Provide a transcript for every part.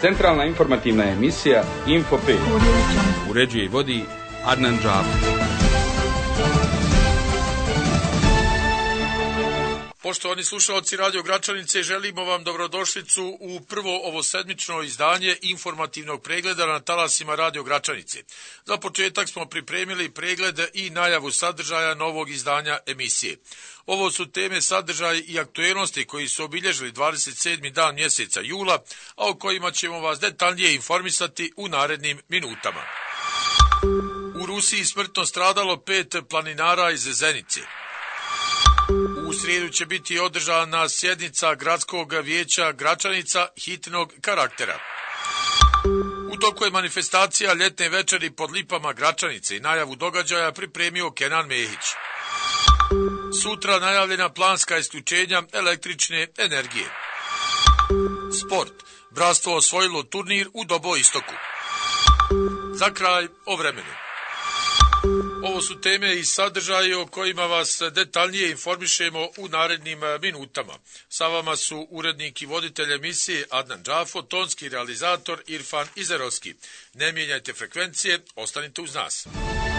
Centralna informativna emisija Info 5. Uređuje i vodi Adnan Džafer. Poštovani slušalci Radio Gračanice, želimo vam dobrodošlicu u prvo ovosedmično izdanje informativnog pregleda na talasima Radio Gračanice. Za početak smo pripremili pregled i najavu sadržaja novog izdanja emisije. Ovo su teme, sadržaj i aktuelnosti koji su obilježili 27. dan mjeseca jula, a o kojima ćemo vas detaljnije informisati u narednim minutama. U Rusiji smrtno stradalo 5 planinara iz Zenice. U srijedu će biti održana sjednica Gradskog vijeća Gračanica hitnog karaktera. U toku je manifestacija ljetne večeri pod lipama Gračanice i najavu događaja pripremio Kenan Mehić. Sutra najavljena planska isključenja električne energije. Sport. Bratstvo osvojilo turnir u Dobo Istoku. Za kraj o vremenu. Ovo su teme i sadržaji o kojima vas detaljnije informišemo u narednim minutama. Sa vama su urednik i voditelj emisije Adnan Džafo, tonski realizator Irfan Izerovski. Ne mijenjajte frekvencije, ostanite uz nas.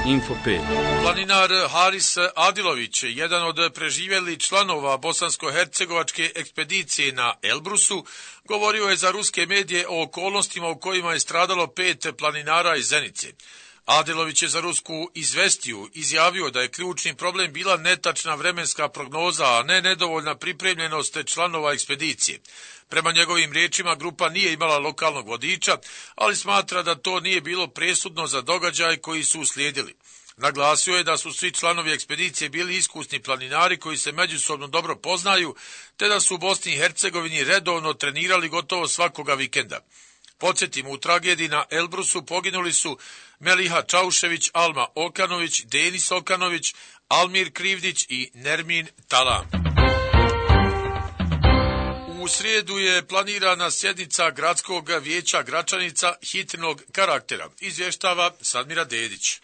Info 5. Planinar Haris Adilović, jedan od preživjelih članova bosansko-hercegovačke ekspedicije na Elbrusu, govorio je za ruske medije o okolnostima u kojima je stradalo 5 planinara iz Zenice. Adilović je za rusku izvestiju izjavio da je ključni problem bila netačna vremenska prognoza, a ne nedovoljna pripremljenost članova ekspedicije. Prema njegovim riječima, grupa nije imala lokalnog vodiča, ali smatra da to nije bilo presudno za događaj koji su uslijedili. Naglasio je da su svi članovi ekspedicije bili iskusni planinari koji se međusobno dobro poznaju, te da su u Bosni i Hercegovini redovno trenirali gotovo svakoga vikenda. Podsjetimo, u tragediji na Elbrusu poginuli su Meliha Čaušević, Alma Okanović, Denis Okanović, Almir Krivdić i Nermin Talam. U srijedu je planirana sjednica Gradskog vijeća Gračanica hitnog karaktera, izvještava Sadmira Dedić.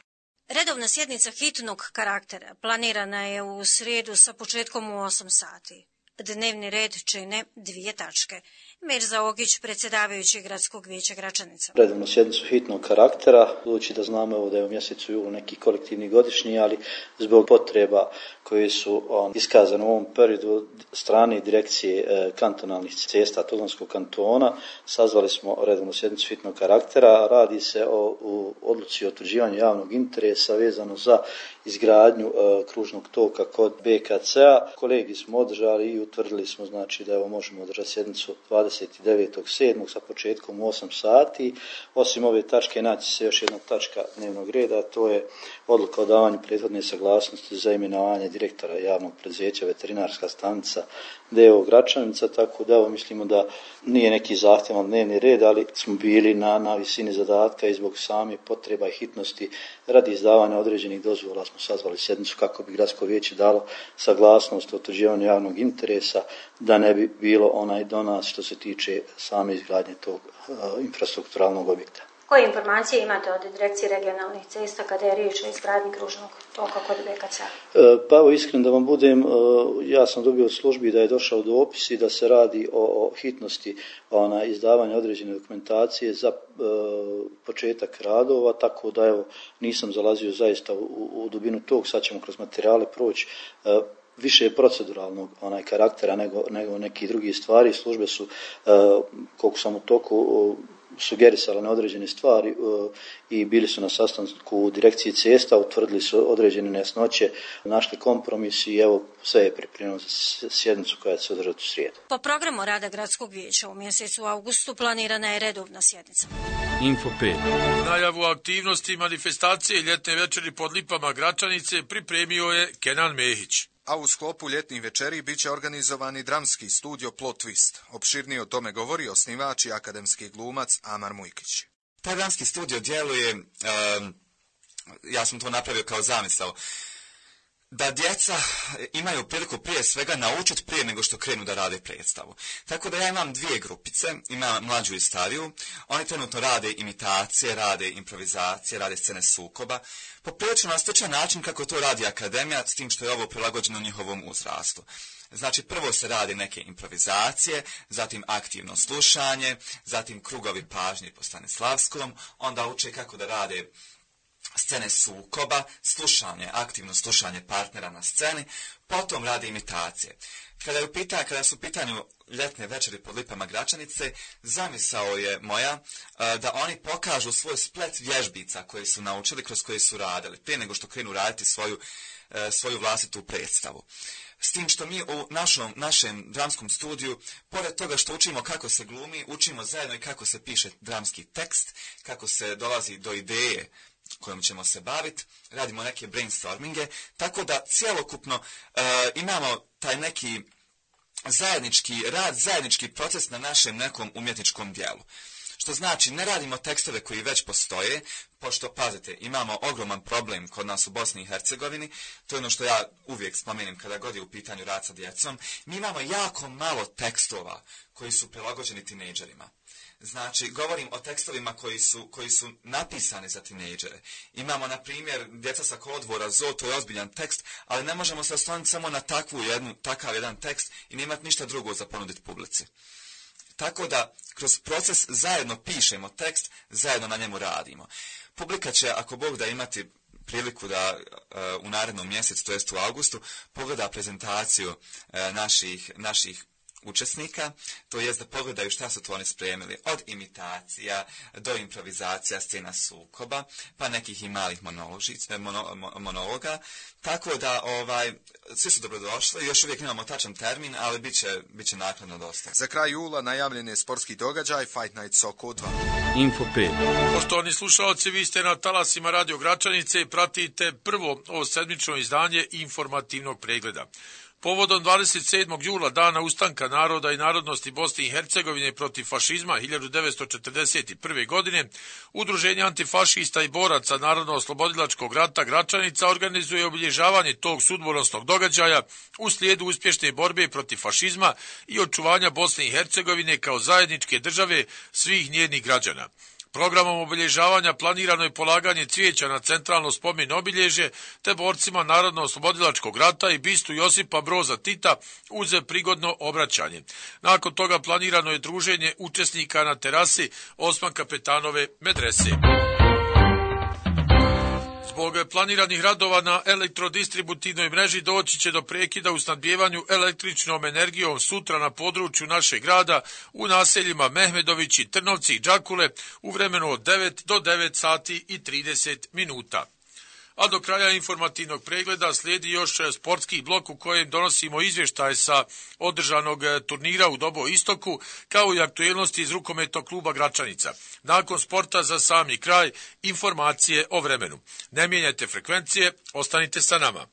Redovna sjednica hitnog karaktera planirana je u srijedu sa početkom u 8 sati. Dnevni red čine 2 tačke. Mirza Ogić, predsjedavajući Gradskog vijeća Gračanica. Redovnu sjednicu hitnog karaktera, budući da znamo da je u mjesecu julu neki kolektivni godišnji, ali zbog potreba koje su iskazane u ovom periodu strane direkcije kantonalnih cesta Tuzlanskog kantona, sazvali smo redovnu sjednicu hitnog karaktera. Radi se o odluci o utvrđivanju javnog interesa vezano za izgradnju kružnog toka kod BKC-a. Kolegi smo održali i utvrdili smo da evo možemo održati sjednicu 29.7. sa početkom u 8 sati. Osim ove tačke naći se još jedna tačka dnevnog reda, a to je odluka o davanju prethodne saglasnosti za imenovanje direktora javnog preduzeća Veterinarska stanica D.O. Gračanica, tako da mislimo da nije neki zahtjevan dnevni red, ali smo bili na visini zadatka i zbog same potreba i hitnosti radi izdavanja određenih dozvola smo sazvali sjednicu kako bi Gradsko vijeće dalo saglasnost o utvrđivanju javnog interesa, da ne bi bilo onaj do nas što se tiče same izgradnje tog infrastrukturalnog objekta. Koje informacije imate od direkcije regionalnih cesta kada je riječ o izgradnji kružnog toka kod BKC? Pa evo, iskreno da vam budem, ja sam dobio od službi da je došao dopis i da se radi o hitnosti izdavanja određene dokumentacije za početak radova, tako da evo nisam zalazio zaista u dubinu tog. Sad ćemo kroz materijale proći više proceduralnog karaktera nego neki drugi stvari. Službe su, koliko sam u toku, sugerisali na određene stvari i bili su na sastanku u direkciji cesta, utvrdili su određene nejasnoće, našli kompromis i evo sve je pripremljeno za sjednicu koja će se održati u srijedu. Po programu rada Gradskog vijeća u mjesecu augustu planirana je redovna sjednica. Info 5. Najavu aktivnosti manifestacije ljetne večeri pod lipama Gračanice pripremio je Kenan Mehić. A u sklopu ljetnih večeri bit će organizovani dramski studio Plot Twist. Opširnije o tome govori osnivač i akademski glumac Amar Mujkić. Taj dramski studio djeluje, ja sam to napravio kao zamisao, da djeca imaju priliku prije svega naučiti prije nego što krenu da rade predstavu. Tako da ja imam dvije grupice, imam mlađu i stariju. Oni trenutno rade imitacije, rade improvizacije, rade scene sukoba. Poprilično na sličan način kako to radi akademija, s tim što je ovo prilagođeno njihovom uzrastu. Znači, prvo se radi neke improvizacije, zatim aktivno slušanje, zatim krugovi pažnje po Stanislavskom, onda uče kako da rade scene sukoba, slušanje, aktivno slušanje partnera na sceni, potom rade imitacije. Kada su u pitanju ljetne večeri pod lipama Gračanice, zamisao je moja da oni pokažu svoj splet vježbica koje su naučili, kroz koje su radili, prije nego što krenu raditi svoju vlastitu predstavu. S tim što mi u našem dramskom studiju, pored toga što učimo kako se glumi, učimo zajedno i kako se piše dramski tekst, kako se dolazi do ideje kojom ćemo se baviti, radimo neke brainstorminge, tako da cjelokupno imamo taj neki zajednički rad, zajednički proces na našem nekom umjetničkom dijelu. Što znači, ne radimo tekstove koji već postoje, pošto, pazite, imamo ogroman problem kod nas u Bosni i Hercegovini, to je ono što ja uvijek spomenem kada god je u pitanju rad sa djecom, mi imamo jako malo tekstova koji su prilagođeni tinejdžerima. Znači, govorim o tekstovima koji su napisani za tinejdžere. Imamo, na primjer, Djeca sa kolodvora, Zo, to je ozbiljan tekst, ali ne možemo se osloniti samo na takav jedan tekst i ne imati ništa drugo za ponuditi publici. Tako da, kroz proces zajedno pišemo tekst, zajedno na njemu radimo. Publika će, ako Bog da, imati priliku da u narednom mjesecu, to jest u augustu, pogleda prezentaciju naših učesnika, to jest da pogledaju šta su to oni spremili, od imitacija do improvizacija, scena sukoba, pa nekih i malih monologa, tako da svi su dobrodošli, još uvijek imamo tačan termin, ali bit će naknadno dosta. Za kraj jula najavljen je sportski događaj Fight Night Soko 2. Info 5. Poštovani slušalci, vi ste na talasima Radio Gračanice i pratite prvo ovo sedmično izdanje informativnog pregleda. Povodom 27. jula, dana ustanka naroda i narodnosti Bosne i Hercegovine protiv fašizma 1941. godine, Udruženje antifašista i boraca Narodno-oslobodilačkog rata Gračanica organizuje obilježavanje tog sudbonosnog događaja u slijedu uspješne borbe protiv fašizma i očuvanja Bosne i Hercegovine kao zajedničke države svih njenih građana. Programom obilježavanja planirano je polaganje cvijeća na centralno spomen obilježje te borcima Narodno-oslobodilačkog rata i bistu Josipa Broza Tita uz prigodno obraćanje. Nakon toga planirano je druženje učesnika na terasi Osman Kapetanove medrese. Zbog planiranih radova na elektrodistributivnoj mreži doći će do prekida u snabdijevanju električnom energijom sutra na području našeg grada u naseljima Mehmedović i Trnovci i Đakule u vremenu od 9 do 9 sati i 30 minuta. A do kraja informativnog pregleda slijedi još sportski blok u kojem donosimo izvještaj sa održanog turnira u Dobo Istoku, kao i aktuelnosti iz rukometnog kluba Gračanica. Nakon sporta za sami kraj, informacije o vremenu. Ne mijenjajte frekvencije, ostanite sa nama.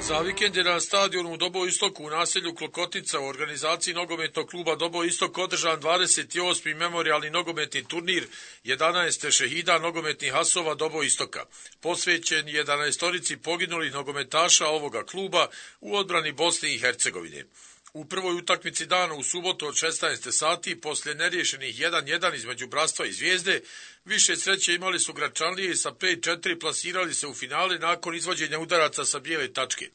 Za vikend je na stadionu u Dobo Istoku u naselju Klokotica u organizaciji nogometnog kluba Dobo Istok održan 28. memorijalni nogometni turnir 11 šehida nogometnih asova Dobo Istoka, posvećen 11 poginulih nogometaša ovoga kluba u odbrani Bosne i Hercegovine. U prvoj utakmici dana u subotu od 16 sati, poslije neriješenih 1-1 između Bratstva i Zvijezde, više sreće imali su Gračanlije i sa 5-4 plasirali se u finale nakon izvođenja udaraca sa bijele tačke.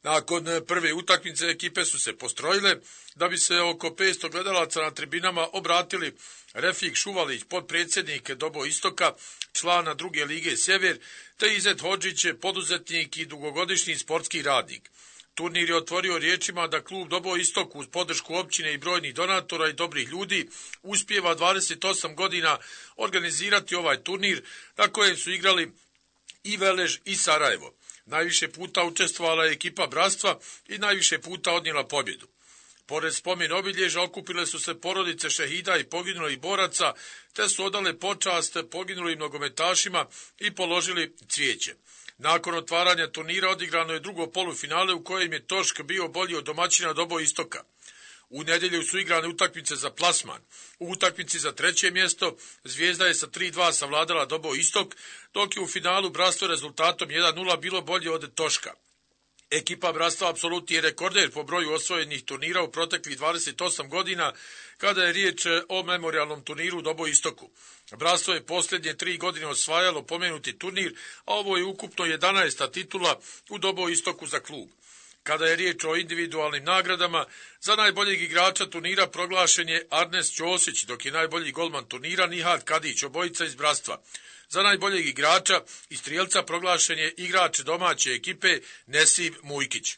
Nakon prve utakmice ekipe su se postrojile da bi se oko 500 gledalaca na tribinama obratili Refik Šuvalić, potpredsjednik Dobo Istoka, člana druge lige Sjever, te Izet Hodžić, poduzetnik i dugogodišnji sportski radnik. Turnir je otvorio riječima da klub Dobo Istok uz podršku općine i brojnih donatora i dobrih ljudi uspijeva 28 godina organizirati ovaj turnir na kojem su igrali i Velež i Sarajevo. Najviše puta učestvovala je ekipa Bratstva i najviše puta odnijela pobjedu. Pored spomen obilježja okupile su se porodice šehida i poginulih boraca, te su odale počast poginulim nogometašima i položili cvijeće. Nakon otvaranja turnira odigrano je drugo polufinale u kojem je Tošk bio bolji od domaćina Dobo Istoka. U nedjelju su igrane utakmice za plasman. U utakmici za treće mjesto Zvijezda je sa 3-2 savladala Dobo Istok, dok je u finalu Bratstvo rezultatom 1-0 bilo bolje od Toška. Ekipa Bratstva apsolutni je rekorder po broju osvojenih turnira u proteklih 28 godina kada je riječ o memorijalnom turniru u Dobo Istoku. Bratstvo je posljednje 3 godine osvajalo pomenuti turnir, a ovo je ukupno 11. titula u Dobo Istoku za klub. Kada je riječ o individualnim nagradama, za najboljeg igrača turnira proglašen je Arnes Ćosić, dok je najbolji golman turnira Nihat Kadić, obojica iz Bratstva. Za najboljeg igrača i strijelca proglašen je igrač domaće ekipe Nesib Mujkić.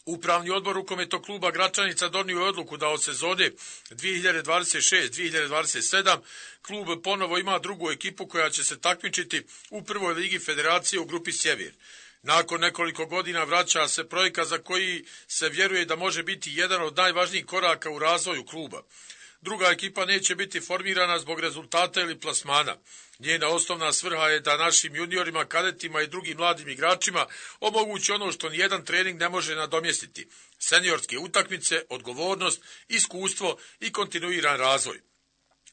Upravni odbor rukometnog kluba Gračanica donio je odluku da od sezone 2026-2027 klub ponovo ima drugu ekipu koja će se takmičiti u prvoj ligi federacije u grupi Sjever. Nakon nekoliko godina vraća se projekat za koji se vjeruje da može biti jedan od najvažnijih koraka u razvoju kluba. Druga ekipa neće biti formirana zbog rezultata ili plasmana. Njena osnovna svrha je da našim juniorima, kadetima i drugim mladim igračima omogući ono što nijedan trening ne može nadomjestiti: seniorske utakmice, odgovornost, iskustvo i kontinuiran razvoj.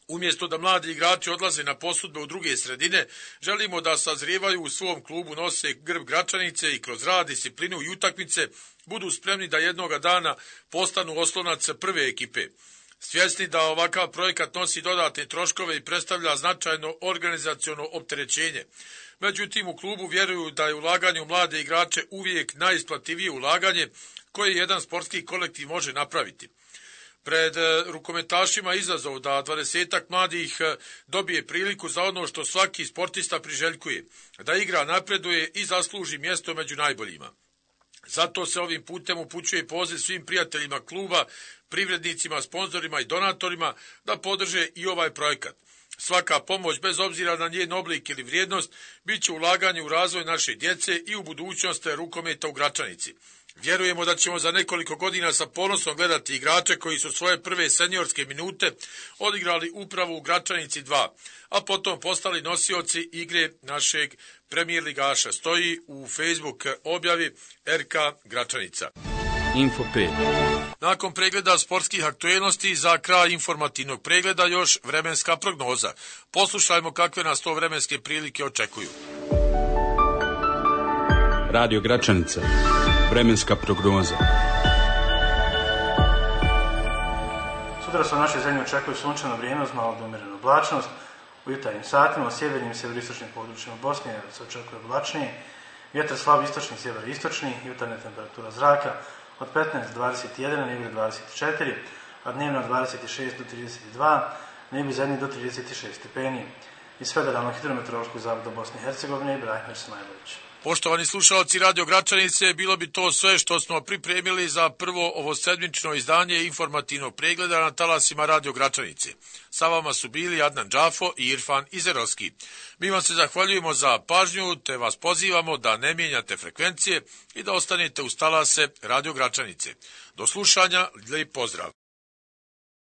Umjesto da mladi igrači odlaze na posudbe u druge sredine, želimo da sazrijevaju u svom klubu, nose grb Gračanice i kroz rad, disciplinu i utakmice budu spremni da jednoga dana postanu oslonac prve ekipe. Svjesni da ovakav projekat nosi dodatne troškove i predstavlja značajno organizaciono opterećenje. Međutim, u klubu vjeruju da je ulaganje u mlade igrače uvijek najisplativije ulaganje koje jedan sportski kolektiv može napraviti. Pred rukometašima izazov da 20 mladih dobije priliku za ono što svaki sportista priželjkuje, da igra, napreduje i zasluži mjesto među najboljima. Zato se ovim putem upućuje poziv svim prijateljima kluba, privrednicima, sponzorima i donatorima da podrže i ovaj projekat. Svaka pomoć, bez obzira na njen oblik ili vrijednost, bit će ulaganje u razvoj naše djece i u budućnost rukometa u Gračanici. Vjerujemo da ćemo za nekoliko godina sa ponosom gledati igrače koji su svoje prve seniorske minute odigrali upravo u Gračanici 2, a potom postali nosioci igre našeg premijer ligaša. Stoji u Facebook objavi RK Gračanica. Info 5. Nakon pregleda sportskih aktuelnosti, za kraj informativnog pregleda još vremenska prognoza. Poslušajmo kakve nas to vremenske prilike očekuju. Radio Gračanica. Vremenska prognoza. Sutra se u našoj zemlji očekuje sunčano vrijeme uz malo umjerenu oblačnost. U jutarnjim satima u sjevernim i severistočnim područjima Bosne se očekuje oblačnije. Vjetar slab istočni i sjeveristočni, jutarnja temperatura zraka od 15 do 21, na jugu 24, a dnevno od 26 do 32, na jugu zadnji do 36 stepeni. Iz Federalnog hidrometeorološkog zavoda Bosne i Hercegovine, Ibrahim Smajlović. Poštovani slušalci Radio Gračanice, bilo bi to sve što smo pripremili za prvo ovo sedmično izdanje informativnog pregleda na talasima Radio Gračanice. Sa vama su bili Adnan Džafo i Irfan Izerovski. Mi vam se zahvaljujemo za pažnju, te vas pozivamo da ne mijenjate frekvencije i da ostanete uz talase Radio Gračanice. Do slušanja, lijep pozdrav.